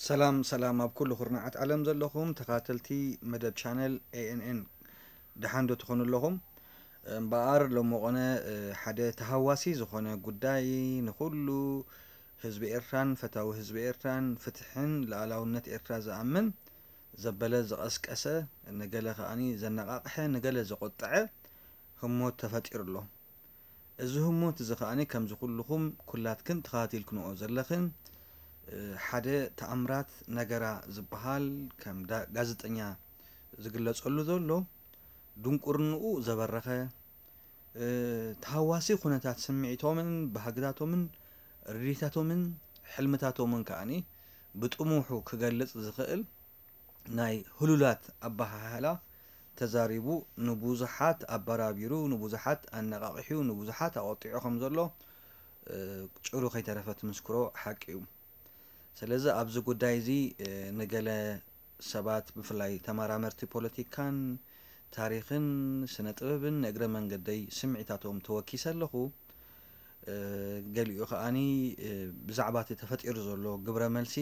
ሰላም ሰላም ኣብ ኩሉ ኩርናዓት ዓለም ዘለኹም ተኻተልቲ መደብ ቻነል ኤ ኤን ኤን፣ ደሓን ዶ ትኾኑ ኣለኹም? እምበኣር ሎሚ ቖነ፣ እ፣ ሓደ ተሃዋሲ ዝኾነ ጉዳይ፣ ንኹሉ ህዝቢ ኤርትራን ፈታዊ ህዝቢ ኤርትራን ፍትሕን ልኣላውነት ኤርትራ ዝኣምን ዘበለ፣ ዝቐስቀሰ፣ ንገለ ከኣኒ ዘነቓቕሐ፣ ንገለ ዘቖጠዐ ህሞት ተፈጢሩ ኣሎ። እዚ ህሞት እዚ ከኣኒ ከምዚ ኩልኹም ኩላትክን ተኸታቲልክንኦ ዘለኽን፣ እ፣ ሓደ ተኣምራት ነገራ ዝበሃል ከም ዳ-፣ ጋዜጠኛ ዝግለጸሉ ዘሎ፣ ድንቁርንኡ ዘበረኸ፣ እ፣ ተሃዋሲ ኩነታት ስምዒቶምን ባህግታቶምን ርድኢታቶምን ሕልምታቶምን ከኣኒ ብጥሙሑ ክገልጽ ዝኽእል ናይ ህሉላት ኣበሃህላ ተዛሪቡ ንብዙሓት ኣበራቢሩ፣ ንብዙሓት ኣነቓቒሑ፣ ንብዙሓት ኣቖጢዑ ከም ዘሎ፣ እ፣ ጭሩ ከይተረፈ ትምስክሮ ሓቂ እዩ። ስለዚ ኣብዚ ጉዳይ እዚ፣ እ፣ ንገለ ሰባት ብፍላይ ተመራመርቲ ፖለቲካን ታሪኽን ስነ ጥበብን ንእግረ መንገደይ ስምዒታቶም ተወኪሰ ኣለኹ። እ፣ ገሊኡ ከኣኒ፣ እ፣ ብዛዕባ እቲ ተፈጢሩ ዘሎ ግብረ መልሲ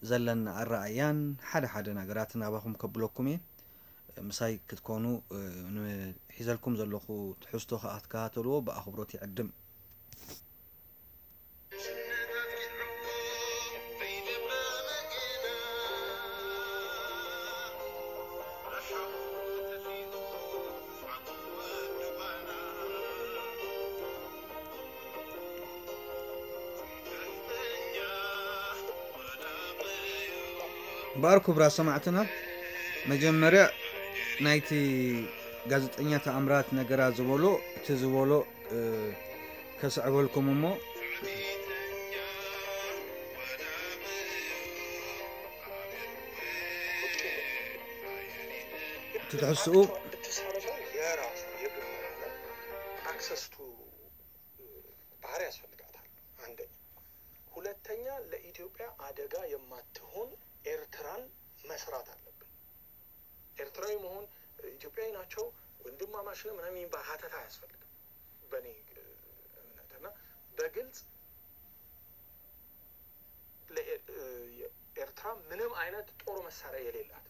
ዘለኒ ኣረኣእያን ሓደ ሓደ ነገራትን ናባኹም ከብለኩም እየ። ምሳይ ክትኮኑ፣ እ፣ ንሒዘልኩም ዘለኹ ትሕዝቶ ከኣ ትከታተልዎ ብኣኽብሮት ይዕድም። እምበኣር ክቡራት ሰማዕትና፣ መጀመርያ ናይቲ ጋዜጠኛ ተኣምራት ነገራ ዝበሎ፣ እቲ ዝበሎ፣ እ፣ ከስዕበልኩም እሞ፣ እቲ ትሕዝትኡ ብትሳረፈው የራሱ የግል መሆኑ access to ባህር ያስፈልጋታል። አንደኛ። ሁለተኛ፣ ለኢትዮጵያ አደጋ የማትሆን ኤርትራን መስራት አለብን። ኤርትራዊ መሆን፣ ኢትዮጵያዊ ናቸው፣ ወንድማማች ነው ምናምን የሚባል ሀተታ አያስፈልግም በእኔ፣ እ፣ እምነት። እና በግልጽ ለኤ-፣ እ፣ ኤርትራ ምንም አይነት ጦር መሳሪያ የሌላት፣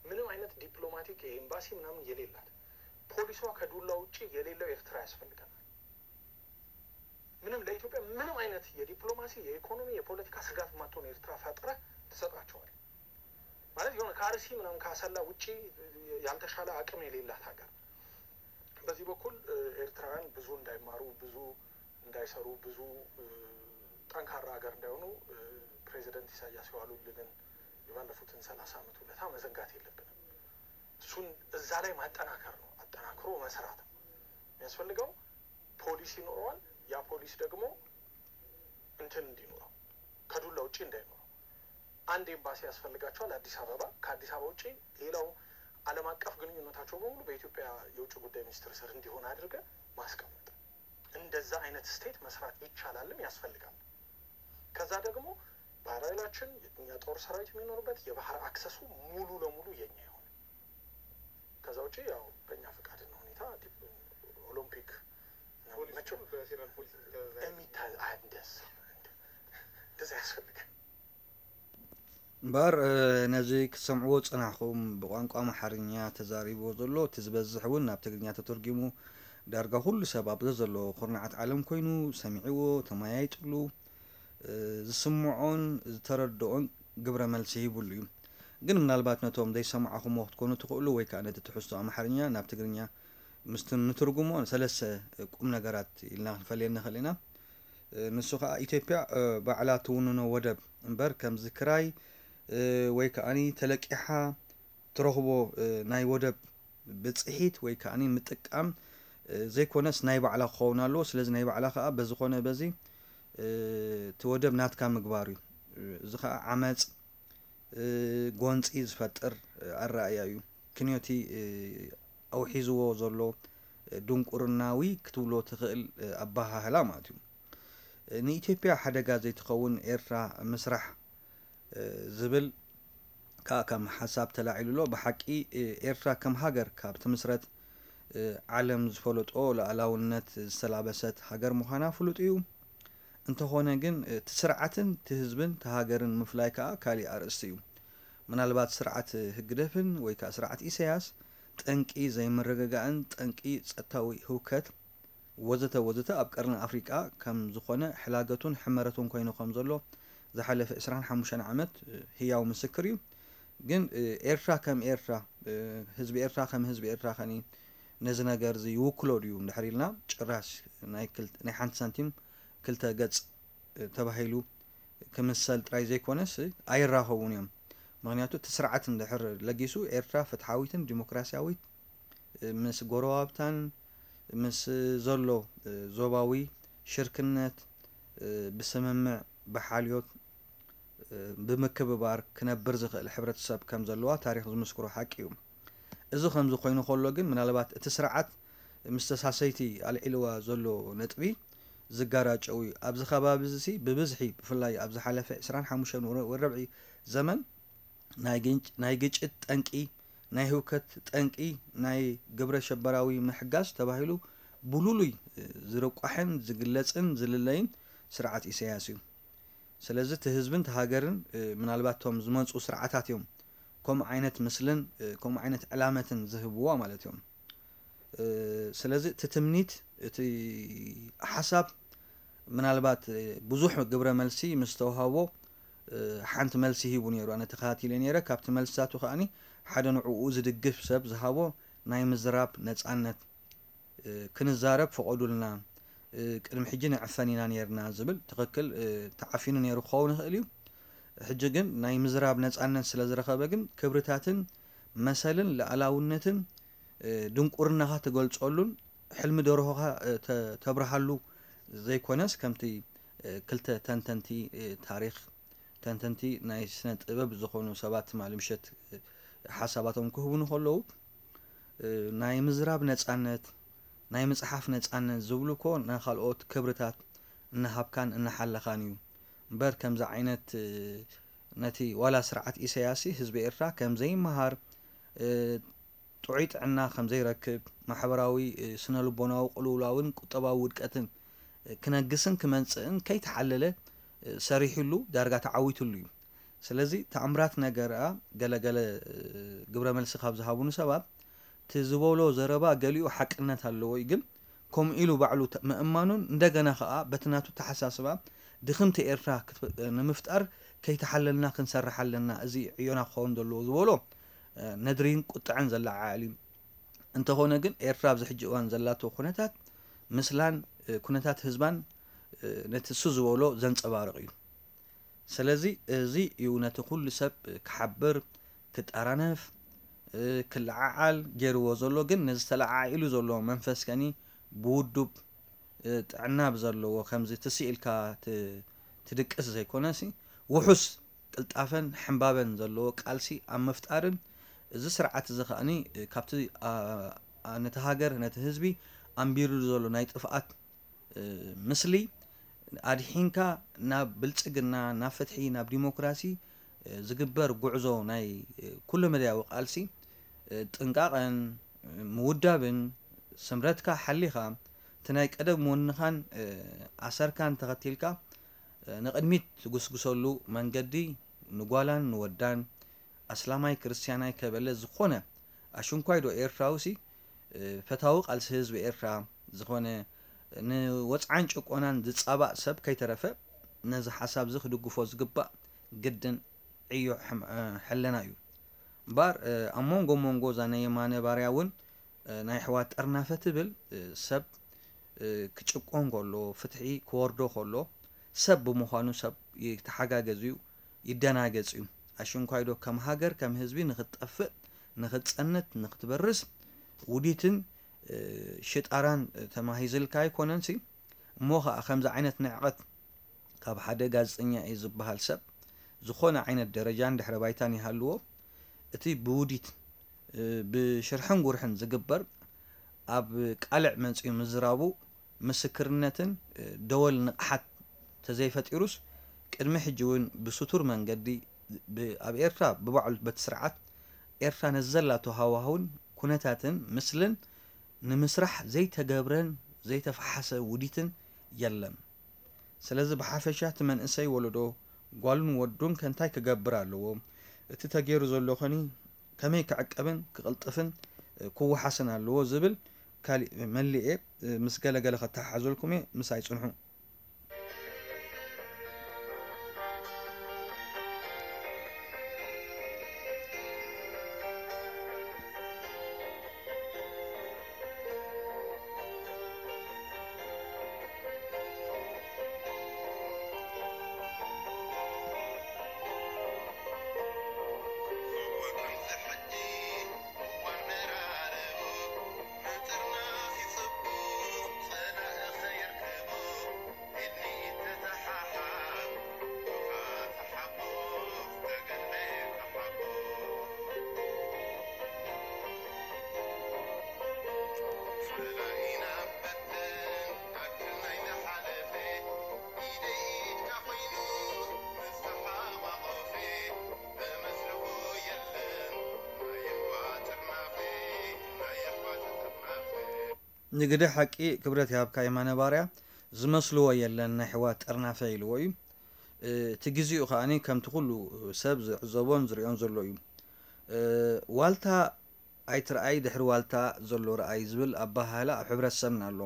ምንም አይነት ዲፕሎማቲክ ኤምባሲ ምናምን የሌላት፣ ፖሊሷ ከዱላ ውጪ የሌለው ኤርትራ ያስፈልገናል። ምንም ለኢትዮጵያ ምንም አይነት የዲፕሎማሲ፣ የኢኮኖሚ፣ የፖለቲካ ስጋት የማትሆን ኤርትራ ፈጥረህ ትሰጣቸዋለህ። ማለት የሆነ ከአርሲ ምናምን ከአሰላ ውጪ ያልተሻለ አቅም የሌላት ሀገር። በዚህ በኩል፣ እ፣ ኤርትራውያን ብዙ እንዳይማሩ፣ ብዙ እንዳይሰሩ፣ ብዙ፣ እ፣ ጠንካራ ሀገር እንዳይሆኑ፣ እ፣ ፕሬዚደንት ኢሳያስ የዋሉልንን የባለፉትን ሠላሳ ዓመት ውለታ መዘንጋት የለብንም። እሱን እዛ ላይ ማጠናከር ነው፣ አጠናክሮ መስራት ነው የሚያስፈልገው። ፖሊስ ይኖረዋል። ያ ፖሊስ ደግሞ እንትን እንዲኖረው፣ ከዱላ ውጪ እንዳይኖረው። አንድ ኤምባሲ ያስፈልጋቸዋል አዲስ አበባ። ከአዲስ አበባ ውጪ ሌላው ዓለም አቀፍ ግንኙነታቸው በሙሉ በኢትዮጵያ የውጭ ጉዳይ ሚኒስቴር ስር እንዲሆን አድርገን ማስቀመጥ። እንደዛ አይነት ስቴት መስራት ይቻላልም ያስፈልጋል። ከዛ ደግሞ ባህር ኃይላችን፣ የኛ ጦር ሰራዊት የሚኖርበት የባህር አክሰሱ ሙሉ ለሙሉ የኛ ይሆን። ከዛ ውጪ ያው በእኛ ፈቃድና ሁኔታ ዲፕ-፣ ኦሎምፒክ ነው ፖሊስ መቼም በፌደራል ፖሊስ የሚታዘዝ። የሚታ-፣ አይ፣ እንደዛ፣ እንደዛ ያስፈልጋል። እምበኣር፣ እ፣ ነዚ ክትሰምዕዎ ዝጸናሕኩም ብቋንቋ ኣምሓርኛ ተዛሪብዎ ዘሎ፣ እቲ ዝበዝሕ እውን ናብ ትግርኛ ተተርጒሙ፣ ዳርጋ ኩሉ ሰብ ኣብ ዘሎ ኩርናዓት ዓለም ኮይኑ ሰሚዕዎ፣ ተመያይጥሉ፣ እ፣ ዝስምዖን ዝተረድኦን ግብረ መልሲ ሂቡሉ እዩ። ግን ምናልባት ነቶም ዘይሰማዕኹምዎ ክትኮኑ ትኽእሉ፣ ወይ ከኣ ነቲ ትሕዝቶ ኣምሓርኛ ናብ ትግርኛ ምስ ትን-፣ ንትርጉሞ ሰለስተ ቁም ነገራት ኢልና ክንፈልየን ንኽእል ኢና። እ፣ ንሱ ኸኣ ኢትዮጵያ፣ እ፣ ባዕላ ትውንኖ ወደብ እምበር፣ ከምዚ ክራይ፣ እ፣ ወይ ከኣኒ ተለቂሓ ትረኽቦ፣ እ፣ ናይ ወደብ ብጽሒት ወይ ከኣኒ ምጥቃም፣ እ፣ ዘይኮነስ ናይ ባዕላ ክኸውን ኣለዎ። ስለዚ ናይ ባዕላ ኸኣ በዚ ኾነ በዚ፣ እ፣ እቲ ወደብ ናትካ ምግባር እዩ። እ፣ እዚ ኸኣ ዓመጽ፣ እ፣ ጎንጺ ዝፈጥር፣ እ፣ ኣረኣእያ እዩ። ክንዮቲ፣ እ፣ ኣውሒዝዎ ዘሎ፣ እ፣ ድንቁርናዊ ክትብሎ ትኽእል፣ እ፣ ኣበሃህላ ማለት እዩ። እ፣ ንኢትዮጵያ ሓደጋ ዘይትኸውን ኤርትራ ምስራሕ፣ እ፣ ዝብል ከኣ ከም ሓሳብ ተላዒሉ ኣሎ። ብሓቂ፣ እ፣ ኤርትራ ከም ሃገር ካብ ትምስረት፣ እ፣ ዓለም ዝፈለጦ ሉዓላውነት ዝተላበሰት ሃገር ምዃና ፍሉጥ እዩ። እንተኾነ ግን እቲ ስርዓትን እቲ ህዝብን እቲ ሃገርን ምፍላይ ከኣ ካሊእ ኣርእስቲ እዩ። ምናልባት ስርዓት ህግደፍን ወይ ከኣ ስርዓት ኢሳያስ ጠንቂ ዘይምርግጋእን ጠንቂ ጸጥታዊ ህውከት ወዘተ ወዘተ ኣብ ቀርኒ ኣፍሪቃ ከም ዝኾነ ሕላገቱን ሕመረቱን ኮይኑ ከም ዘሎ ዝሓለፈ ዕስራን ሓሙሽተን ዓመት ህያው ምስክር እዩ። ግን ኤርትራ ከም ኤርትራ፣ ህዝቢ ኤርትራ ከም ህዝቢ ኤርትራ ከኒ ነዚ ነገር እዚ ይውክሎ ድዩ እንድሕር ኢልና ጭራሽ ናይ ሓንቲ ሳንቲም ክልተ ገጽ ተባሂሉ ክምሰል ጥራይ ዘይኮነስ ኣይራኸቡን እዮም። ምኽንያቱ እቲ ስርዓት እንድሕር ለጊሱ ኤርትራ ፍትሓዊትን ዲሞክራሲያዊት ምስ ጎረባብታን ምስ ዘሎ ዞባዊ ሽርክነት ብስምምዕ ብሓልዮት ብምክብባር ክነብር ዝኽእል ሕብረተሰብ ከም ዘለዋ ታሪኽ ዝምስክሮ ሓቂ እዩ። እዚ ከምዚ ኮይኑ ከሎ ግን ምናልባት እቲ ስርዓት ምስ ተሳሰይቲ ኣልዒልዋ ዘሎ ነጥቢ ዝጋራጨው እዩ። ኣብዚ ከባቢ እዚ ብብዝሒ ብፍላይ ኣብ ዝሓለፈ ዕስራን ሓሙሽተን ወረ- ወረብዒ ዘመን ናይ ግንጭ- ናይ ግጭት ጠንቂ፣ ናይ ህውከት ጠንቂ፣ ናይ ግብረ ሸበራዊ ምሕጋዝ ተባሂሉ ብሉሉይ ዝርቋሕን ዝግለጽን ዝልለይን ስርዓት ኢሳያስ እዩ። ስለዚ እቲ ህዝብን እቲ ሃገርን ምናልባት እቶም ዝመፁ ስርዓታት እዮም ከምኡ ዓይነት ምስልን ከምኡ ዓይነት ዕላመትን ዝህብዎ ማለት እዮም። ስለዚ እቲ ትምኒት እቲ ሓሳብ ምናልባት ብዙሕ ግብረ መልሲ ምስ ተውሃቦ ሓንቲ መልሲ ሂቡ ነይሩ። ኣነ ተኸታቲለ ነይረ። ካብቲ መልስታቱ ከዓኒ ሓደ ንዕኡ ዝድግፍ ሰብ ዝሃቦ ናይ ምዝራብ ነፃነት ክንዛረብ ፍቐዱልና፣ ቅድሚ ሕጂ ንዕፈን ኢና ነይርና ዝብል ትኽክል ተዓፊኑ ነይሩ ክኸውን ይኽእል እዩ። ሕጂ ግን ናይ ምዝራብ ነፃነት ስለ ዝረኸበ ግን ክብርታትን መሰልን ልኣላውነትን ድንቁርናኻ ትገልፀሉን ሕልሚ ደርሆኻ ተብርሃሉ ዘይኮነስ ከምቲ ክልተ ተንተንቲ ታሪኽ ተንተንቲ ናይ ስነ ጥበብ ዝኾኑ ሰባት ትማሊ ምሸት ሓሳባቶም ክህቡኒ ከለዉ ናይ ምዝራብ ነፃነት ናይ ምፅሓፍ ነፃነት ዝብሉ እኮ ንካልኦት ክብርታት እናሃብካን እናሓለኻን እዩ እምበር ከምዚ ዓይነት ነቲ ዋላ ስርዓት ኢሳያስ ህዝቢ ኤርትራ ከም ዘይመሃር ጥዑይ ጥዕና ከም ዘይረክብ ማሕበራዊ ስነ ልቦናዊ ቅልውላውን ቁጠባዊ ውድቀትን ክነግስን ክመንፅእን ከይተሓለለ ሰሪሕሉ ዳርጋ ተዓዊትሉ እዩ። ስለዚ ተኣምራት ነገር ገለገለ ግብረ መልሲ ካብ ዝሃቡኒ ሰባት እቲ ዝበሎ ዘረባ ገሊኡ ሓቅነት ኣለዎ እዩ ግን ከምኡ ኢሉ ባዕሉ ምእማኑን እንደገና ከዓ በቲ ናቱ ተሓሳስባ ድኽምቲ ኤርትራ ንምፍጣር ከይተሓለልና ክንሰርሕ ኣለና፣ እዚ ዕዮና ክኸውን ዘለዎ ዝበሎ ነድሪን ቁጥዐን ዘለዓዕል እዩ። እንተኾነ ግን ኤርትራ ኣብዚ ሕጂ እዋን ዘላቶ ኩነታት ምስላን ኩነታት ህዝባን ነቲ እሱ ዝበሎ ዘንፀባርቕ እዩ። ስለዚ እዚ እዩ ነቲ ኩሉ ሰብ ክሓብር ክጠራነፍ ክለዓዓል ገይርዎ ዘሎ። ግን ነዚ ተለዓዒሉ ዘሎ መንፈስ ከኒ ብውዱብ ጥዕና ብዘለዎ ከምዚ ትስኢልካ ትድቅስ ዘይኮነሲ ውሑስ ቅልጣፈን ሕንባበን ዘለዎ ቃልሲ ኣብ ምፍጣርን እዚ ስርዓት እዚ ከኣኒ ካብቲ ነቲ ሃገር ነቲ ህዝቢ ኣንቢርሉ ዘሎ ናይ ጥፍኣት ምስሊ ኣድሒንካ ናብ ብልፅግና ናብ ፍትሒ ናብ ዲሞክራሲ ዝግበር ጉዕዞ ናይ ኩለ መዳያዊ ቃልሲ ጥንቃቐን ምውዳብን ስምረትካ ሓሊኻ እቲ ናይ ቀደም ወንኻን ኣሰርካን ተኸቲልካ ንቕድሚት ትጉስጉሰሉ መንገዲ ንጓላን ንወዳን ኣስላማይ ክርስትያናይ ከበለ ዝኾነ ኣሽንኳይ ዶ ኤርትራዊ ሲ ፈታዊ ቃልሲ ህዝቢ ኤርትራ ዝኾነ ንወፅዓን ጭቆናን ዝፃባእ ሰብ ከይተረፈ ነዚ ሓሳብ እዚ ክድግፎ ዝግባእ ግድን ዕዮ ሕለና እዩ። እምበኣር ኣብ መንጎ መንጎ እዛ ናይ የማነ ባርያ እውን ናይ ኣሕዋት ጠርናፈ ትብል ሰብ ክጭቆን ከሎ ፍትሒ ክወርዶ ከሎ ሰብ ብምዃኑ ሰብ ይተሓጋገዝ እዩ ይደናገጽ እዩ። ኣሽንኳይዶ ከም ሃገር ከም ህዝቢ ንኽትጠፍእ ንኽትጸንት ንኽትበርስ ውዲትን ሽጣራን ተማሂዝልካ ኣይኮነንሲ እሞ ኸኣ ከምዚ ዓይነት ንዕቐት ካብ ሓደ ጋዜጠኛ እዩ ዝበሃል ሰብ ዝኾነ ዓይነት ደረጃን ድሕረ ባይታን ይሃልዎ እቲ ብውዲት ብሽርሕን ጉርሕን ዝግበር ኣብ ቃልዕ መጺኡ ምዝራቡ ምስክርነትን ደወል ንቕሓት ተዘይፈጢሩስ ቅድሚ ሕጂ እውን ብስቱር መንገዲ ኣብ ኤርትራ ብባዕሉ በቲ ስርዓት ኤርትራ ነዘላቶ ሃዋህውን ኩነታትን ምስልን ንምስራሕ ዘይተገብረን ዘይተፈሓሰ ውዲትን የለን። ስለዚ ብሓፈሻ እቲ መንእሰይ ወለዶ ጓሉን ወዱን ከ እንታይ ክገብር ኣለዎ? እቲ ተገይሩ ዘሎ ኸኒ ከመይ ክዕቀብን ክቕልጥፍን ክወሓስን ኣለዎ ዝብል ካሊእ መሊኤ ምስ ገለገለ ከተሓሓዘልኩም እየ። ምሳይ ጽንሑ። ንግደ ሓቂ ክብረት ይሃብካ የማነ ባርያ፣ ዝመስልዎ የለን ናይ ኣሕዋት ጥርናፈ ኢልዎ እዩ። እቲ ግዜኡ ከኣ ከምቲ ኩሉ ሰብ ዝዕዘቦን ዝርእዮን ዘሎ እዩ። ዋልታ ኣይትርኣይ ድሕሪ ዋልታ ዘሎ ርኣይ ዝብል ኣበሃህላ ኣብ ሕብረተሰብና ኣሎ።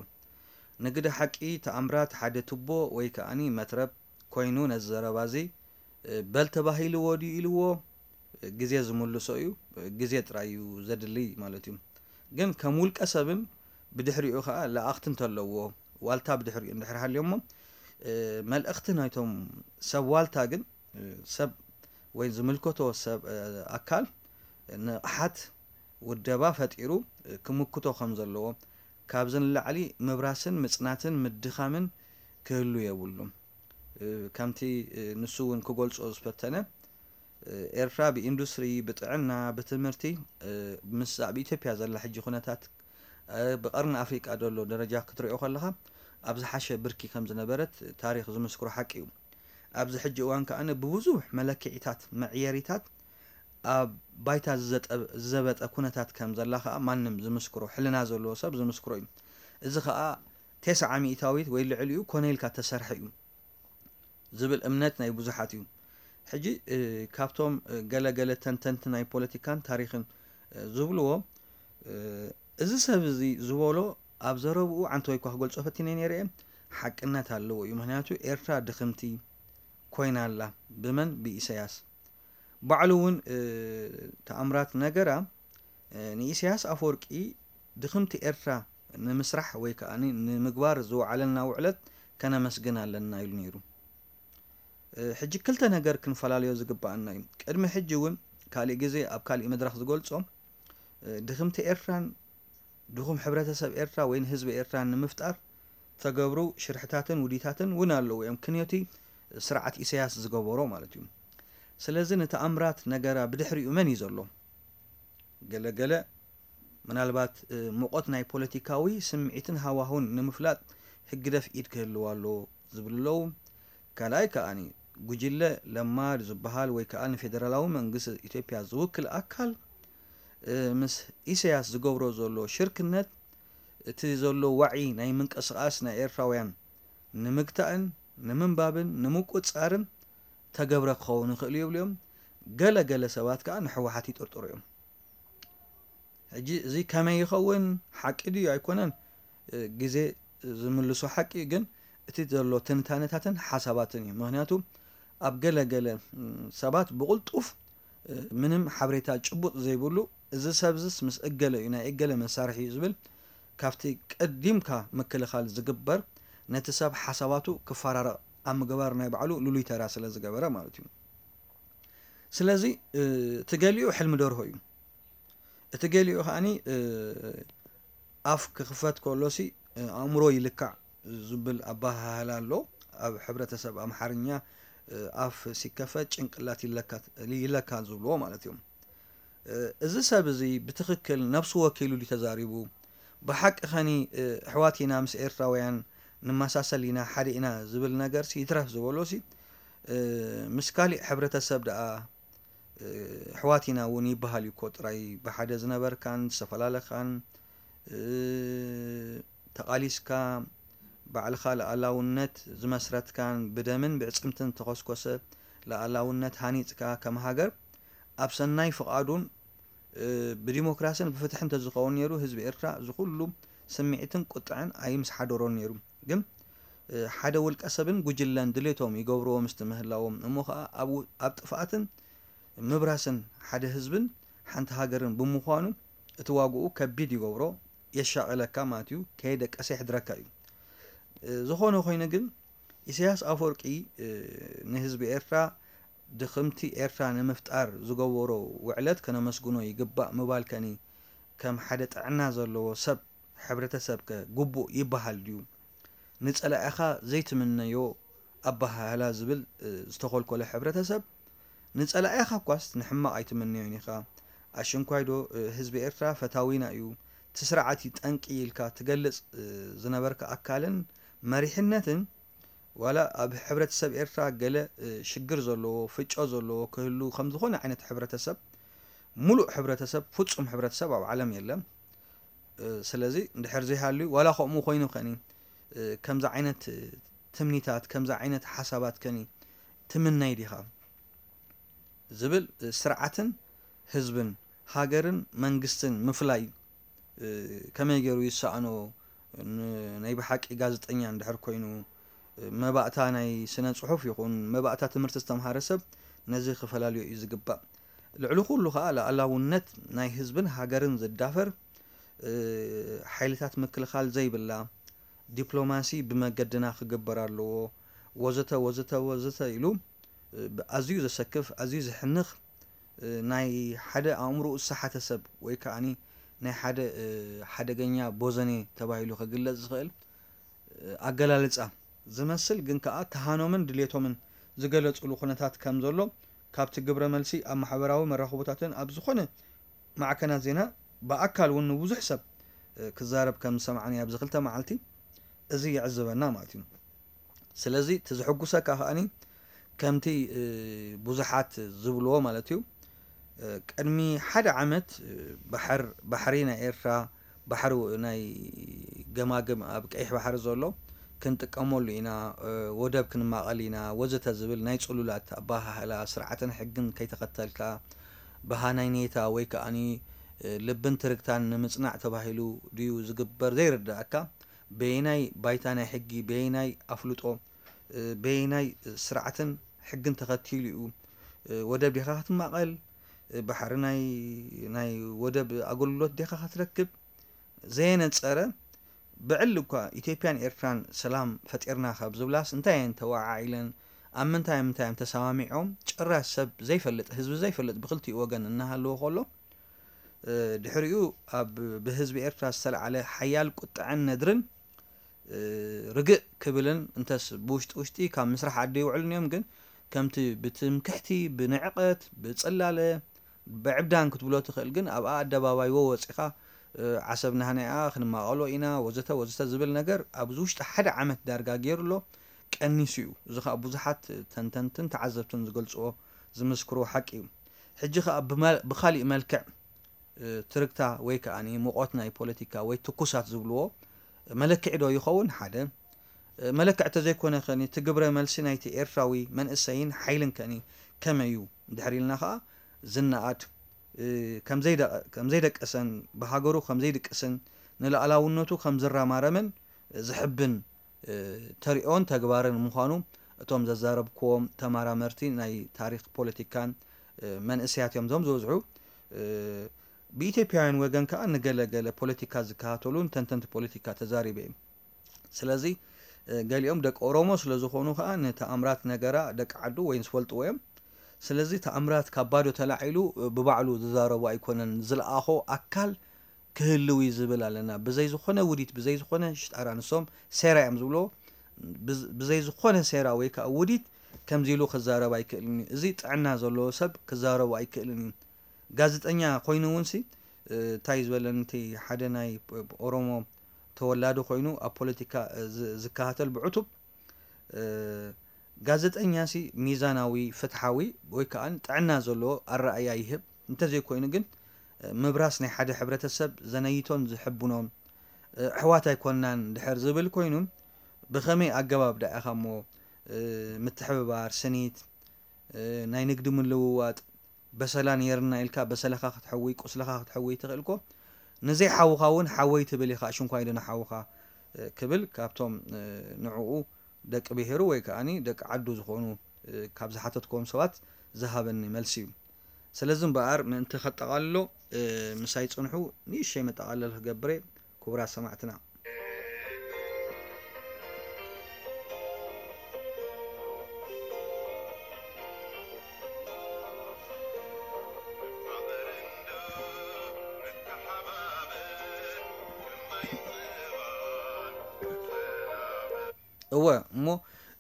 ንግደ ሓቂ ተኣምራት ሓደ ቱቦ ወይ ከኣ መትረብ ኮይኑ ነዚ ዘረባ እዚ በል ተባሂልዎ ድዩ ኢልዎ ግዜ ዝምልሶ እዩ። ግዜ ጥራይ እዩ ዘድሊ ማለት እዩ። ግን ከም ውልቀ ሰብን ብድሕሪኡ ከኣ ለኣኽቲ እንተለዎ ዋልታ ብድሕሪኡ እንድሕር ሃልዮሞ መልእኽቲ ናይቶም ሰብ ዋልታ ግን ሰብ ወይ ዝምልከቶ ሰብ ኣካል ንቕሓት ውደባ ፈጢሩ ክምክቶ ከም ዘለዎ ካብዚ ንላዕሊ ምብራስን ምጽናትን ምድኻምን ክህሉ የብሉን። ከምቲ ንሱ እውን ክገልጾ ዝፈተነ ኤርትራ ብኢንዱስትሪ ብጥዕና ብትምህርቲ ምስ ኣብ ኢትዮጵያ ዘላ ሕጂ ኩነታት ብቀርኒ ኣፍሪቃ ዘሎ ደረጃ ክትሪኦ ከለኻ ኣብ ዝሓሸ ብርኪ ከም ዝነበረት ታሪኽ ዝምስክሮ ሓቂ እዩ። ኣብዚ ሕጂ እዋን ከኣ ብብዙሕ መለክዒታት መዕየሪታት ኣብ ባይታ ዝዘበጠ ኩነታት ከም ዘላ ከኣ ማንም ዝምስክሮ ሕልና ዘለዎ ሰብ ዝምስክሮ እዩ። እዚ ከኣ ተስዓ ሚእታዊት ወይ ልዕሊኡ ኮነ ኢልካ ተሰርሐ እዩ ዝብል እምነት ናይ ብዙሓት እዩ። ሕጂ ካብቶም ገለገለ ተንተንቲ ናይ ፖለቲካን ታሪኽን ዝብልዎ እዚ ሰብ እዚ ዝበሎ ኣብ ዘረብኡ ዓንተወይ እኳ ክገልጾ ፈቲነ ነይረ እየ ሓቅነት ኣለዎ እዩ። ምክንያቱ ኤርትራ ድኽምቲ ኮይና ኣላ። ብመን? ብኢሰያስ። ባዕሉ እውን ተኣምራት ነገራ ንኢሰያስ ኣፈወርቂ ድኽምቲ ኤርትራ ንምስራሕ ወይ ከዓ ንምግባር ዝወዓለልና ውዕለት ከነመስግን ኣለና ኢሉ ነይሩ። ሕጂ ክልተ ነገር ክንፈላለዮ ዝግባኣና እዩ። ቅድሚ ሕጂ እውን ካሊእ ግዜ ኣብ ካሊእ መድረኽ ዝገልጾ ድኽምቲ ኤርትራን ድኹም ሕብረተሰብ ኤርትራ ወይ ንህዝቢ ኤርትራ ንምፍጣር ተገብሩ ሽርሕታትን ውዲታትን እውን ኣለዉ እዮም። ክንዮቲ ስርዓት ኢሳያስ ዝገበሮ ማለት እዩ። ስለዚ ንተኣምራት ነገራ ብድሕሪኡ መን እዩ ዘሎ? ገለ ገለ ምናልባት ሙቐት ናይ ፖለቲካዊ ስምዒትን ሃዋሁን ንምፍላጥ ህግደፍ ኢድ ክህልዋ ኣለዎ ዝብሉ ኣለዉ። ካልኣይ ከኣ ጉጅለ ለማ ዝበሃል ወይ ከዓ ንፌደራላዊ መንግስቲ ኢትዮጵያ ዝውክል ኣካል ምስ ኢሳያስ ዝገብሮ ዘሎ ሽርክነት እቲ ዘሎ ዋዒ ናይ ምንቅስቃስ ናይ ኤርትራውያን ንምግታእን ንምንባብን ንምቁጻርን ተገብረ ክኸውን ይኽእል እዩ ይብሉ እዮም። ገለ ገለ ሰባት ከዓ ንሕወሓት ይጥርጥሩ እዮም። ሕጂ እዚ ከመይ ይኸውን ሓቂ ድዩ ኣይኮነን ግዜ ዝምልሶ ሓቂ እዩ። ግን እቲ ዘሎ ትንታነታትን ሓሳባትን እዩ። ምክንያቱ ኣብ ገለ ገለ ሰባት ብቕልጡፍ ምንም ሓበሬታ ጭቡጥ ዘይብሉ እዚ ሰብ ዝስ ምስ እገለ እዩ ናይ እገለ መሳርሒ እዩ ዝብል ካብቲ ቀዲምካ ምክልኻል ዝግበር ነቲ ሰብ ሓሳባቱ ክፈራረቕ ኣብ ምግባር ናይ ባዕሉ ልሉይ ተራ ስለ ዝገበረ ማለት እዩ። ስለዚ እቲ ገሊኡ ሕልሚ ደርሆ እዩ። እቲ ገሊኡ ከዓኒ ኣፍ ክኽፈት ከሎሲ ኣእምሮ ይልካዕ ዝብል ኣበሃህላ ኣሎ። ኣብ ሕብረተሰብ ኣምሓርኛ ኣፍ ሲከፈት ጭንቅላት ይለካ ዝብልዎ ማለት እዮም። እዚ ሰብ እዚ ብትኽክል ነብሱ ወኪሉ ድዩ ተዛሪቡ? ብሓቂ ኸኒ ኣሕዋት ኢና ምስ ኤርትራውያን ንመሳሰል ኢና ሓደ ኢና ዝብል ነገርሲ ይትረፍ ዝበሎሲ ምስ ካሊእ ሕብረተሰብ ደኣ ኣሕዋት ኢና እውን ይበሃል እዩ እኮ። ጥራይ ብሓደ ዝነበርካን ዝተፈላለኻን ተቓሊስካ ባዕልኻ ልኣላውነት ዝመስረትካን ብደምን ብዕጽምትን ተኾስኮሰ ልኣላውነት ሃኒጽካ ከም ሃገር ኣብ ሰናይ ፍቓዱን ብዲሞክራስን ብፍትሕን ተዝኸውን ነይሩ ህዝቢ ኤርትራ እዚ ኩሉ ስምዒትን ቁጥዐን ኣይምስሓደሮን ነይሩ። ግን ሓደ ውልቀ ሰብን ጉጅለን ድሌቶም ይገብርዎ ምስቲ ምህላዎም እሞ ከዓ ኣብ ጥፍኣትን ምብራስን ሓደ ህዝብን ሓንቲ ሃገርን ብምዃኑ እቲ ዋግኡ ከቢድ ይገብሮ፣ የሻቐለካ ማለት እዩ፣ ከየደቀሰ የሕድረካ እዩ። ዝኾነ ኮይኑ ግን ኢሳያስ ኣፈወርቂ ንህዝቢ ኤርትራ ድኽምቲ ኤርትራ ንምፍጣር ዝገበሮ ውዕለት ከነመስግኖ ይግባእ ምባል ከኒ ከም ሓደ ጥዕና ዘለዎ ሰብ ሕብረተሰብ ከ ግቡእ ይበሃል ድዩ? ንጸላኢኻ ዘይትምነዮ ኣበሃህላ ዝብል ዝተኾልኮለ ሕብረተሰብ ንጸላኢኻ እኳስ ንሕማቕ ኣይትምነዮን ኢኻ። ኣሽንኳይዶ ህዝቢ ኤርትራ ፈታዊና እዩ፣ እቲ ስርዓት እዩ ጠንቂ ኢልካ ትገልጽ ዝነበርካ ኣካልን መሪሕነትን ዋላ ኣብ ሕብረተሰብ ኤርትራ ገለ ሽግር ዘለዎ ፍጮ ዘለዎ ክህሉ ከም ዝኾነ ዓይነት ሕብረተሰብ ሙሉእ ሕብረተሰብ ፍጹም ሕብረተሰብ ኣብ ዓለም የለን። ስለዚ እንድሕር ዘይሃልዩ ዋላ ከምኡ ኮይኑ ከኒ ከምዚ ዓይነት ትምኒታት ከምዚ ዓይነት ሓሳባት ከኒ ትምነይ ዲኻ ዝብል ስርዓትን ህዝብን ሃገርን መንግስትን ምፍላይ ከመይ ገይሩ ይሰኣኖ? ናይ ብሓቂ ጋዜጠኛ እንድሕር ኮይኑ መባእታ ናይ ስነ ጽሑፍ ይኹን መባእታ ትምህርቲ ዝተምሃረ ሰብ ነዚ ክፈላልዮ እዩ ዝግባእ። ልዕሊ ኩሉ ከኣ ልኣላውነት ናይ ህዝብን ሃገርን ዝዳፈር ሓይልታት ምክልኻል ዘይብላ ዲፕሎማሲ ብመገድና ክግበር ኣለዎ ወዘተ ወዘተ ወዘተ ኢሉ ኣዝዩ ዘሰክፍ ኣዝዩ ዘሕንኽ ናይ ሓደ ኣእምሮኡ ዝሰሓተ ሰብ ወይ ከዓኒ ናይ ሓደ ሓደገኛ ቦዘኔ ተባሂሉ ክግለጽ ዝኽእል ኣገላልጻ ዝመስል ግን ከኣ ተሃኖምን ድሌቶምን ዝገለጹሉ ኩነታት ከም ዘሎ ካብቲ ግብረ መልሲ ኣብ ማሕበራዊ መራኽቦታትን ኣብ ዝኾነ ማዕከናት ዜና ብኣካል እውን ንብዙሕ ሰብ ክዛረብ ከም ዝሰማዕኒ ኣብዚ ክልተ መዓልቲ እዚ የዕዝበና ማለት እዩ። ስለዚ እቲ ዝሕጉሰካ ከኣኒ ከምቲ ብዙሓት ዝብልዎ ማለት እዩ ቅድሚ ሓደ ዓመት ባሕር ባሕሪ ናይ ኤርትራ ባሕሪ ናይ ገማግም ኣብ ቀይሕ ባሕሪ ዘሎ ክንጥቀመሉ ኢና፣ ወደብ ክንማቐል ኢና ወዘተ ዝብል ናይ ጽሉላት ኣበሃህላ ስርዓትን ሕግን ከይተኸተልካ ብሃናይኔታ ወይ ከኣኒ ልብን ትርግታን ንምጽናዕ ተባሂሉ ድዩ ዝግበር ዘይርድኣካ በየናይ ባይታ ናይ ሕጊ በየናይ ኣፍልጦ በየናይ ስርዓትን ሕግን ተኸቲሉ እዩ ወደብ ዲኻ ክትማቐል ባሕሪ ናይ ናይ ወደብ ኣገልግሎት ዲኻ ክትረክብ ዘየነጸረ ብዕሊ እኳ ኢትዮጵያን ኤርትራን ሰላም ፈጢርና ካብ ዝብላስ እንታይ እየን ተወዓዒለን ኣብ ምንታይ ምንታይ እዮም ተሰማሚዖም ጭራሽ ሰብ ዘይፈልጥ ህዝቢ ዘይፈልጥ ብክልቲኡ ወገን እናሃለዎ ከሎ ድሕሪኡ ኣብ ብህዝቢ ኤርትራ ዝተለዓለ ሓያል ቁጥዐን ነድርን ርግእ ክብልን እንተስ ብውሽጢ ውሽጢ ካብ ምስራሕ ዓዲ ይውዕሉን እዮም ግን ከምቲ ብትምክሕቲ ብንዕቐት ብጽላለ ብዕብዳን ክትብሎ ትኽእል ግን ኣብኣ ኣደባባይ ወ ወፂኻ ዓሰብ ናህናያ ክንማቐሎ ኢና ወዘተ ወዘተ ዝብል ነገር ኣብዚ ውሽጢ ሓደ ዓመት ዳርጋ ገይሩ ኣሎ ቀኒሱ እዩ። እዚ ከዓ ብዙሓት ተንተንትን ተዓዘብትን ዝገልፅዎ ዝምስክርዎ ሓቂ እዩ። ሕጂ ከዓ ብመ- ብኻሊእ መልክዕ እ፣ ትርግታ ወይ ከዓ ሙቐት ናይ ፖለቲካ ወይ ትኩሳት ዝብልዎ መለክዒ ዶ ይኸውን? ሓደ እ፣ መለክዒ ተዘይኮነ ከኒ እቲ ግብረ መልሲ ናይቲ ኤርትራዊ መንእሰይን ሓይልን ከኒ ከመይ እዩ እንድሕር ኢልና ከዓ ዝነኣድ እ፣ ከምዘይደ- ከምዘይደቀሰን ብሃገሩ ከምዘይድቅስን ንላዕላውነቱ ከምዝረማረምን ዝሕብን ተሪኦን ተግባርን ምዃኑ እቶም ዘዛረብክዎም ተመራመርቲ ናይ ታሪኽ ፖለቲካን መንእሰያት እዮም እዞም ዝበዝሑ። ብኢትዮጵያውያን ወገን ከዓ ንገለ ገለ ፖለቲካ ዝከታተሉን ተንተንቲ ፖለቲካ ተዛሪበ እዩ። ስለዚ ገሊኦም ደቂ ኦሮሞ ስለዝኾኑ ከዓ ንተኣምራት ነገራ ደቂ ዓዱ ወይ ዝፈልጥዎ እዮም። ስለዚ ተኣምራት ካብ ባዶ ተላዒሉ ብባዕሉ ዝዛረቦ ኣይኮነን፣ ዝለኣኾ ኣካል ክህልው እዩ ዝብል ኣለና። ብዘይ ዝኾነ ውዲት፣ ብዘይ ዝኾነ ሽጣራ፣ ንሶም ሴራ እዮም ዝብልዎ። ብዝ- ብዘይ ዝኾነ ሴራ ወይ ከዓ ውዲት ከምዚ ኢሉ ክዛረብ ኣይክእልን እዩ። እዚ ጥዕና ዘለዎ ሰብ ክዛረቡ ኣይክእልን እዩ። ጋዜጠኛ ኮይኑ እውን ሲ እንታይ ዝበለን እቲ ሓደ ናይ ኦሮሞ ተወላዲ ኮይኑ ኣብ ፖለቲካ ዝ- ዝከታተል ብዕቱብ ጋዜጠኛ ሲ ሚዛናዊ ፍትሓዊ ወይ ከዓ ጥዕና ዘለዎ ኣረኣእያ ይህብ እንተዘይኮይኑ ግን ምብራስ ናይ ሓደ ሕብረተሰብ ዘነይቶን ዝሕብኖን ኣሕዋት ኣይኮንናን ድሕር ዝብል ኮይኑ ብኸመይ ኣገባብ ደኣ ኢኻ እሞ፣ እ፣ ምትሕብባር፣ ስኒት፣ እ፣ ናይ ንግዲ ምልውዋጥ፣ በሰላ ነይርና ኢልካ በሰለኻ ክትሕውይ፣ ቁስልኻ ክትሕውይ ትኽእል እኮ። ንዘይ ሓውኻ እውን ሓወይ ትብል ኢኻ፣ ሽንኳይ ዶ ንሓውኻ፣ እ፣ ክብል ካብቶም፣ እ፣ ንዕኡ ደቂ ብሄሩ ወይ ከኣኒ ደቂ ዓዱ ዝኾኑ፣ እ፣ ካብ ዝሓተትክዎም ሰባት ዝሃበኒ መልሲ እዩ። ስለዚ እምበኣር ምእንቲ ከጠቓልሎ፣ እ፣ ምሳይ ጽንሑ፣ ንእሽተይ መጠቓለል ክገብር እየ፣ ክቡራት ሰማዕትና። እወ፣ እሞ፣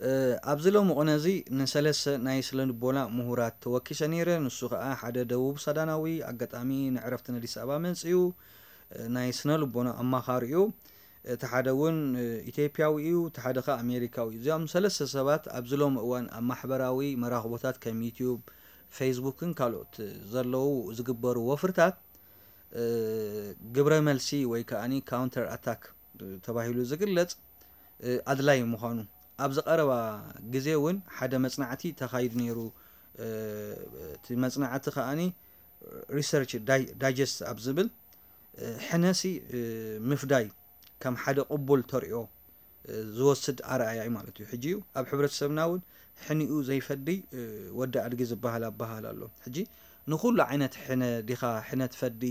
እ፣ ኣብዚ ሎሚ ቅነ እዚ ንሰለስተ ናይ ስነ ልቦና ምሁራት ተወኪሰ ነይረ። ንሱ ኸኣ ሓደ ደቡብ ሱዳናዊ፣ ኣጋጣሚ ንዕረፍቲ ንኣዲስ ኣበባ መጺኡ፣ እ፣ ናይ ስነ ልቦና ኣማኻሪ እዩ። እቲ ሓደ እውን፣ እ፣ ኢትዮጵያዊ እዩ፣ እቲ ሓደ ኸኣ ኣሜሪካዊ እዩ። እዚኦም ሰለስተ ሰባት ኣብዚ ሎሚ እዋን ኣብ ማሕበራዊ መራኽቦታት ከም ዩትዩብ፣ ፌስቡክን ካልኦት ዘለዉ ዝግበሩ ወፍርታት፣ እ፣ ግብረ መልሲ ወይ ከኣኒ ካውንተር ኣታክ ተባሂሉ ዝግለጽ፣ እ፣ ኣድላይ ምዃኑ፣ ኣብዚ ቀረባ ግዜ እውን ሓደ መጽናዕቲ ተኻይዱ ነይሩ። እ፣ እቲ መጽናዕቲ ከኣኒ ሪሰርች ዳይ-፣ ዳይጀስት ኣብ ዝብል፣ እ፣ ሕነሲ፣ እ፣ ምፍዳይ ከም ሓደ ቅቡል ተርእዮ፣ እ፣ ዝወስድ ኣርኣያ እዩ ማለት እዩ። ሕጂ እዩ ኣብ ሕብረተሰብና እውን ሕኒኡ ዘይፈዲ፣ እ፣ ወዲ ኣድጊ ዝበሃል ኣበሃል ኣሎ። ሕጂ ንኹሉ ዓይነት ሕነ ዲኻ ሕነ ትፈዲ?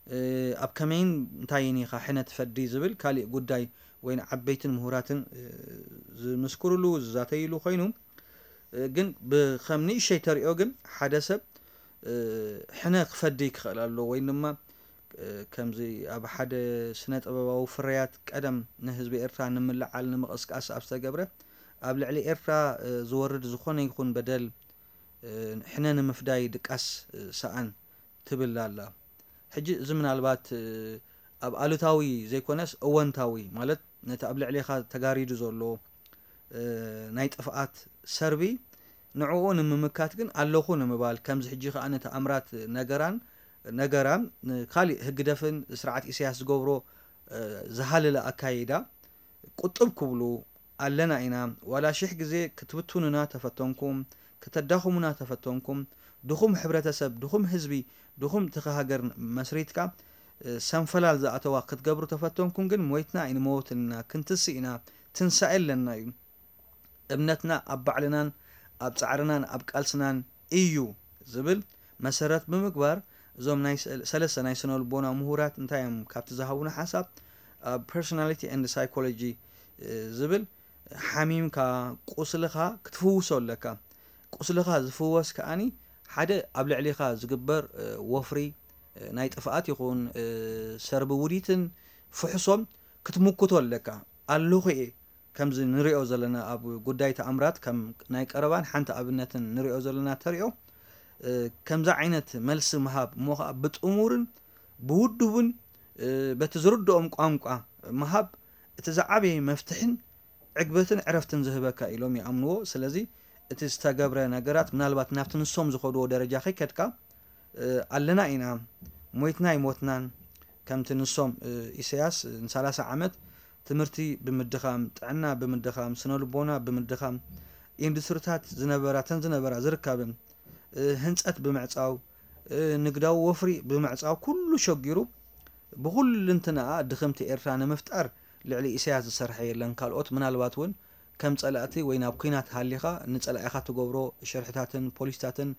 እ፣ ኣብ ከመይን እንታይን ኢኻ ሕነ ትፈዲ ዝብል ካሊእ ጉዳይ ወይ ንዓበይትን ምሁራትን፣ እ፣ ዝምስክሩሉ፣ ዝዛተይሉ ኮይኑ፣ እ፣ ግን ብኸም ንእሽተይ ተሪኦ ግን ሓደ ሰብ፣ እ፣ ሕነ ክፈዲ ክኽእል ኣሎ ወይ ድማ፣ እ፣ ከምዚ ኣብ ሓደ ስነ ጥበባዊ ፍርያት ቀደም ንህዝቢ ኤርትራ ንምልዓል ንምቕስቃስ ኣብ ዝተገብረ ኣብ ልዕሊ ኤርትራ፣ እ፣ ዝወርድ ዝኾነ ይኹን በደል፣ እ፣ ሕነ ንምፍዳይ ድቃስ፣ እ፣ ሰኣን ትብል ኣላ። ሕጂ እዚ ምናልባት፣ እ፣ ኣብ ኣሉታዊ ዘይኮነስ እወንታዊ ማለት ነቲ ኣብ ልዕሌኻ ተጋሪዱ ዘሎ፣ እ፣ ናይ ጥፍኣት ሰርቢ ንዕኡ ንምምካት ግን ኣለኹ ንምባል፣ ከምዚ ሕጂ ከኣ ነቲ ኣምራት ነገራን፣ ነገራ፣ እ፣ ካሊእ ህግደፍን ስርዓት ኢሳያስ ዝገብሮ፣ እ፣ ዝሃለለ ኣካይዳ ቁጥብ ክብሉ ኣለና ኢና። ዋላ ሽሕ ግዜ ክትብትኑና ተፈተንኩም፣ ከተዳኽሙና ተፈተንኩም፣ ድኹም ሕብረተሰብ፣ ድኹም ህዝቢ፣ ድኹም ትኺ ሃገር መስሪትካ፣ እ፣ ሰንፈላል ዝኣተዋ ክትገብሩ ተፈተንኩም ግን ሞይትና ኣይንመውትን ኢና፣ ክንትስእ ኢና፣ ትንሳኤ ኣለና እዩ። እምነትና ኣብ ባዕልናን ኣብ ጻዕርናን ኣብ ቃልስናን እዩ ዝብል መሰረት ብምግባር፣ እዞም ናይ ሰ-፣ ሰለስተ ናይ ስነ ልቦና ምሁራት እንታይ እዮም ካብቲ ዝሃቡና ሓሳብ፣ ኣብ ፐርሶናሊቲ ኤንድ ሳይኮሎጂ፣ እ፣ ዝብል፣ ሓሚምካ ቁስልኻ ክትፍውሶ ኣለካ። ቁስልኻ ዝፍወስ ከኣኒ ሓደ ኣብ ልዕሊኻ ዝግበር፣ እ፣ ወፍሪ፣ እ፣ ናይ ጥፍኣት ይኹን፣ እ፣ ሰርቢ ውዲትን ፍሕሶን ክትምክቶ ኣለካ። ኣለኹ እየ። ከምዚ ንሪኦ ዘለና ኣብ ጉዳይ ተኣምራት ከም ናይ ቀረባን ሓንቲ ኣብነትን ንሪኦ ዘለና ተሪኦ፣ እ፣ ከምዚ ዓይነት መልሲ ምሃብ እሞ ኸዓ ብጥሙርን ብውዱብን፣ እ፣ በቲ ዝርድኦም ቋንቋ ምሃብ እቲ ዝዓበየ መፍትሕን ዕግበትን ዕረፍትን ዝህበካ ኢሎም ይኣምንዎ። ስለዚ እቲ ዝተገብረ ነገራት ምናልባት ናብቲ ንሶም ዝኸድዎ ደረጃ ከይከድካ፣ እ፣ ኣለና ኢና፣ ሞይትና ኣይሞትናን፣ ከምቲ ንሶም፣ እ፣ ኢሳያስ ንሰላሳ ዓመት ትምህርቲ ብምድኻም፣ ጥዕና ብምድኻም፣ ስነ ልቦና ብምድኻም፣ ኢንዱስትሪታት ዝነበራ፣ ተን ዝነበራ ዝርከብን፣ እ፣ ህንጸት ብምዕጻው፣ እ፣ ንግዳዊ ወፍሪ ብምዕጻው፣ ኩሉ ሸጊሩ ብኹልንትናኣ ድኽምቲ ኤርትራ ንምፍጣር ልዕሊ ኢሳያስ ዝሰርሐ የለን። ካልኦት ምናልባት እውን ከም ጸላእቲ ወይ ናብ ኲናት ሃሊኻ ንጸላኢኻ ትገብሮ ሸርሕታትን ፖሊሲታትን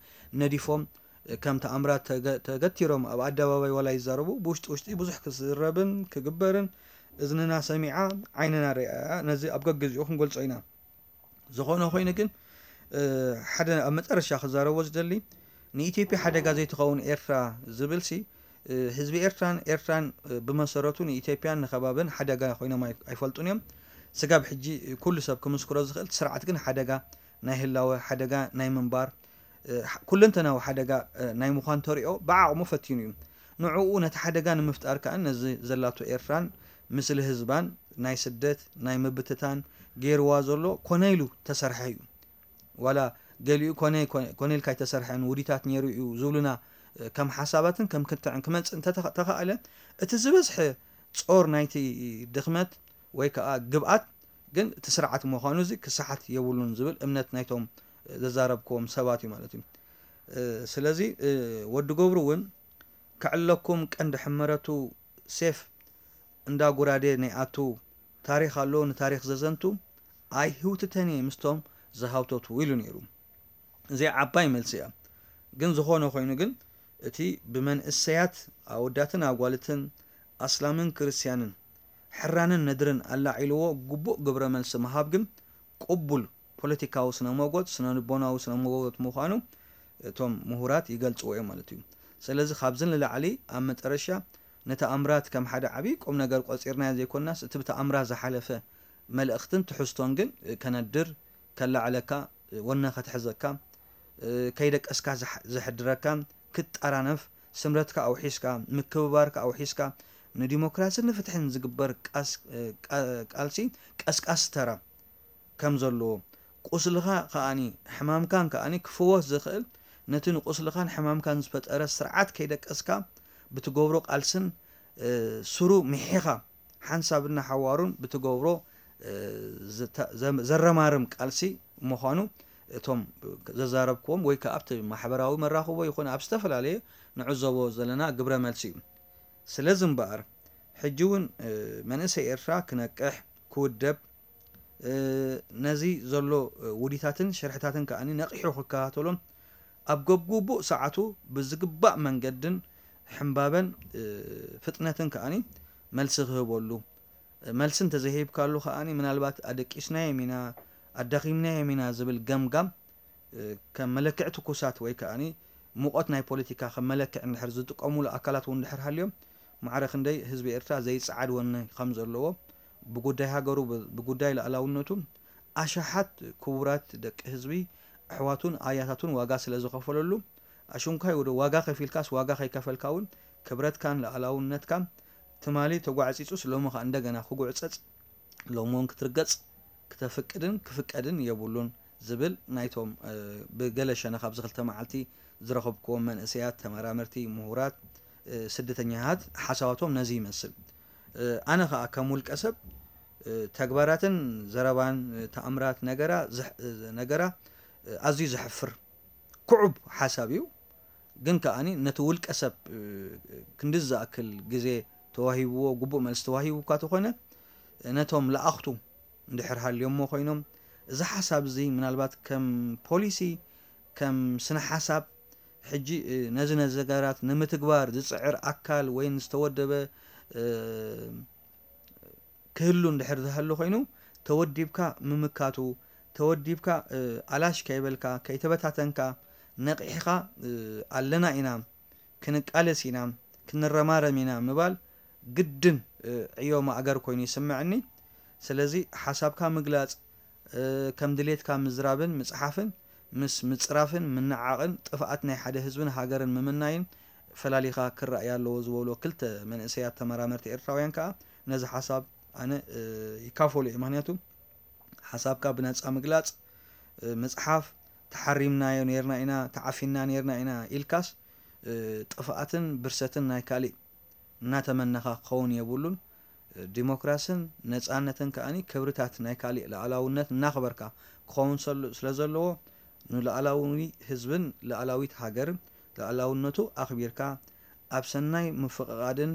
ነዲፎም፣ ከም ተኣምራት ተገ-፣ ተገቲሮም ኣብ ኣደባባይ ዋላ ይዛረቡ፣ ብውሽጢ ውሽጢ ብዙሕ ክዝረብን ክግበርን እዝንና ሰሚዓ ዓይንና ሪኣያ። ነዚ ኣብ ገግዚኡ ክንገልጾ ኢና። ዝኾነ ኮይኑ ግን፣ እ፣ ሓደ ኣብ መጨረሻ ክዛረቦ ዝደሊ፣ ንኢትዮጵያ ሓደጋ ዘይትኸውን ኤርትራ ዝብልሲ፣ እ፣ ህዝቢ ኤርትራን ኤርትራን፣ እ፣ ብመሰረቱ ንኢትዮጵያን ንኸባብን ሓደጋ ኮይኖም ኣይ-፣ ኣይፈልጡን እዮም። ስጋብ ሕጂ ኩሉ ሰብ ክምስክሮ ዝኽእል፣ እቲ ስርዓት ግን ሓደጋ ናይ ህላወ፣ ሓደጋ ናይ ምንባር፣ እ፣ ሕ-፣ ኩለንተናዊ ሓደጋ፣ እ፣ ናይ ምዃን ተሪኦ ብዓቕሙ ፈቲኑ እዩ። ንዕኡ ነቲ ሓደጋ ንምፍጣር ከኣ ነዚ ዘላቶ ኤርትራን ምስሊ ህዝባን ናይ ስደት፣ ናይ ምብትታን ገይርዋ ዘሎ ኮነ ኢሉ ተሰርሐ እዩ። ዋላ ገሊኡ ኮነ፣ ኮነ፣ ኮነ ኢልካ ኣይተሰርሐን፣ ውዲታት ነይሩ እዩ ዝብሉና፣ እ፣ ከም ሓሳባትን ከም ክትዕን ክመጽእ እንተተኸ-፣ ተኻእለ፣ እቲ ዝበዝሐ ጾር ናይቲ ድኽመት ወይ ከኣ ግብኣት ግን እቲ ስርዓት ምዃኑ እዚ ክሰሓት የብሉን ዝብል እምነት ናይቶም ዘዛረብክዎም ሰባት እዩ ማለት እዩ። ስለዚ ወዲ ገብሩ እውን ክዕለኩም ቀንዲ ሕመረቱ ሴፍ እንዳ ጉራዴ ናይ ኣቱ ታሪኽ ኣሎ ንታሪኽ ዘዘንቱ ኣይ ህውትተን እየ ምስቶም ዝሃውተቱ ኢሉ ነይሩ። እዚኣ ዓባይ መልሲ እያ። ግን ዝኾነ ኮይኑ ግን እቲ ብመንእሰያት ኣወዳትን ኣጓልትን ኣስላምን ክርስትያንን ሕራንን ነድርን ኣላዒልዎ ግቡእ ግብረ መልሲ ምሃብ ግን ቅቡል ፖለቲካዊ ስነ መጎት ስነ ልቦናዊ ስነ መጎት ምዃኑ እቶም ምሁራት ይገልጽዎ እዮም ማለት እዩ። ስለዚ ካብዚ ንላዕሊ ኣብ መጠረሻ ንተኣምራት ከም ሓደ ዓብዪ ቁም ነገር ቆጺርናዮ ዘይኮንናስ እቲ ብተኣምራት ዝሓለፈ መልእኽትን ትሕዝቶን ግን ከነድር ከላዕለካ ወነ ከትሕዘካ ከይደቀስካ ዘሕድረካ ክትጠራነፍ ስምረትካ ኣውሒስካ ምክብባርካ ኣውሒስካ ንዲሞክራስን ንፍትሕን ዝግበር ቃልሲ ቀስቃሲ ተራ ከም ዘለዎ ቁስልኻ ከኣኒ ሕማምካን ከኣኒ ክፍወስ ዝኽእል ነቲ ንቁስልኻን ሕማምካን ዝፈጠረ ስርዓት ከይደቀስካ ብትገብሮ ቃልስን ስሩ ምሒኻ ሓንሳብና ሓዋሩን ብትገብሮ ዘረማርም ቃልሲ ምዃኑ እቶም ዘዛረብክዎም ወይ ከዓ ኣብቲ ማሕበራዊ መራኽቦ ይኹን ኣብ ዝተፈላለየ ንዕዘቦ ዘለና ግብረ መልሲ እዩ። ስለዚ እምበኣር ሕጂ እውን መንእሰይ ኤርትራ ክነቅሕ ክውደብ ነዚ ዘሎ ውዲታትን ሽርሕታትን ከኣ ነቒሑ ክከታተሎን ኣብ ገብግቡእ ሰዓቱ ብዝግባእ መንገድን ሕምባበን ፍጥነትን ከኣ መልሲ ክህበሉ መልሲ እንተዘይሂብካሉ ከኣ ምናልባት ኣደቂስናዮም ኢና ኣዳኺምናዮም ኢና ዝብል ገምጋም ከም መለክዒ ትኩሳት ወይ ከኣ ሙቐት ናይ ፖለቲካ ከም መለክዒ እንድሕር ዝጥቀሙሉ ኣካላት እውን እንድሕር ሃልዮም ማዕረ ክንደይ ህዝቢ ኤርትራ ዘይጸዓድ ወኒ ከም ዘለዎ ብጉዳይ ሃገሩ ብጉዳይ ልኣላውነቱ ኣሽሓት ክቡራት ደቂ ህዝቢ ኣሕዋቱን ኣያታቱን ዋጋ ስለ ዝኸፈለሉ ኣሽንኳይ ወደ ዋጋ ከፊልካስ ዋጋ ከይከፈልካ እውን ክብረትካን ልኣላውነትካን ትማሊ ተጓዕጺጹስ ሎሚ ከኣ እንደገና ክጉዕጸጽ ሎሚ እውን ክትርገጽ ክተፍቅድን ክፍቀድን የብሉን ዝብል ናይቶም ብገለ ሸነኽ ኣብዚ ክልተ መዓልቲ ዝረኸብክዎም መንእሰያት፣ ተመራመርቲ፣ ምሁራት፣ ስደተኛታት ሓሳባቶም ነዚ ይመስል። ኣነ ከኣ ከም ውልቀ ሰብ ተግባራትን ዘረባን ተኣምራት ነገራ ኣዝዩ ዘሕፍር ክዑብ ሓሳብ እዩ። ግን ከኣ ነቲ ውልቀ ሰብ ክንዲ ዝኣክል ግዜ ተዋሂብዎ ግቡእ መልሲ ተዋሂቡ እኳ ተኾነ ነቶም ለኣኽቱ እንድሕር ሃልዮሞ ኮይኖም እዚ ሓሳብ እዚ ምናልባት ከም ፖሊሲ ከም ስነ ሓሳብ ሕጂ ነዚ ነዚ ነገራት ንምትግባር ዝፅዕር ኣካል ወይ ዝተወደበ ክህሉ እንድሕር ዝሃሉ ኮይኑ ተወዲብካ ምምካቱ ተወዲብካ ኣላሽ ከይበልካ ከይተበታተንካ ነቒሕኻ ኣለና ኢና ክንቃለስ ኢና ክንረማረም ኢና ምባል ግድን ዕዮ ማእገር ኮይኑ ይስምዐኒ። ስለዚ ሓሳብካ ምግላፅ ከም ድሌትካ ምዝራብን ምፅሓፍን ምስ ምፅራፍን ምንዓቕን ጥፍኣት ናይ ሓደ ህዝብን ሃገርን ምምናይን ፈላሊኻ ክረኣይ ኣለዎ ዝበሉ ክልተ መንእሰያት ተመራመርቲ ኤርትራውያን ከኣ ነዚ ሓሳብ ኣነ ይካፈሉ እየ። ምክንያቱ ሓሳብካ ብነፃ ምግላፅ ምፅሓፍ ተሓሪምናዮ ነርና ኢና ተዓፊና ነርና ኢና ኢልካስ ጥፍኣትን ብርሰትን ናይ ካሊእ እናተመነኻ ክኸውን የብሉን። ዲሞክራስን ነፃነትን ከኣ ክብርታት ናይ ካሊእ ልኣላውነት እናኽበርካ ክኸውን ስለዘለዎ ንልኣላዊ ህዝብን ልኣላዊት ሃገርን ልኣላውነቱ ኣኽቢርካ ኣብ ሰናይ ምፍቕቓድን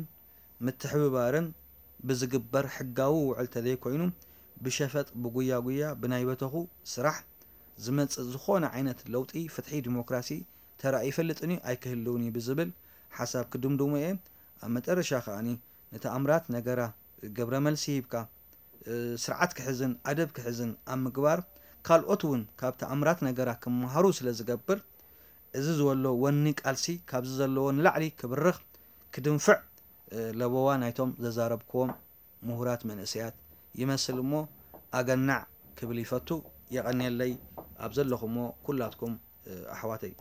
ምትሕብባርን ብዝግበር ሕጋዊ ውዕል ተዘይኮይኑ ብሸፈጥ ብጉያ ጉያ ብናይ በተኹ ስራሕ ዝመፅእ ዝኾነ ዓይነት ለውጢ ፍትሒ ዲሞክራሲ ተራእዩ ይፈልጥን እዩ ኣይክህልውን እዩ ብዝብል ሓሳብ ክድምድሙ እየ። ኣብ መጠረሻ ከኣ ንተኣምራት ነገራ ግብረ መልሲ ሂብካ ስርዓት ክሕዝን ኣደብ ክሕዝን ኣብ ምግባር ካልኦት እውን ካብ ተኣምራት ነገራ ክመሃሩ ስለ ዝገብር እዚ ዝወሎ ወኒ ቃልሲ ካብዚ ዘለዎ ንላዕሊ ክብርኽ ክድንፍዕ ለበዋ ናይቶም ዘዛረብክዎም ምሁራት መንእሰያት ይመስል እሞ ኣገናዕ ክብል ይፈቱ። የቐንየለይ ኣብ ዘለኹሞ ኩላትኩም ኣሕዋተይ።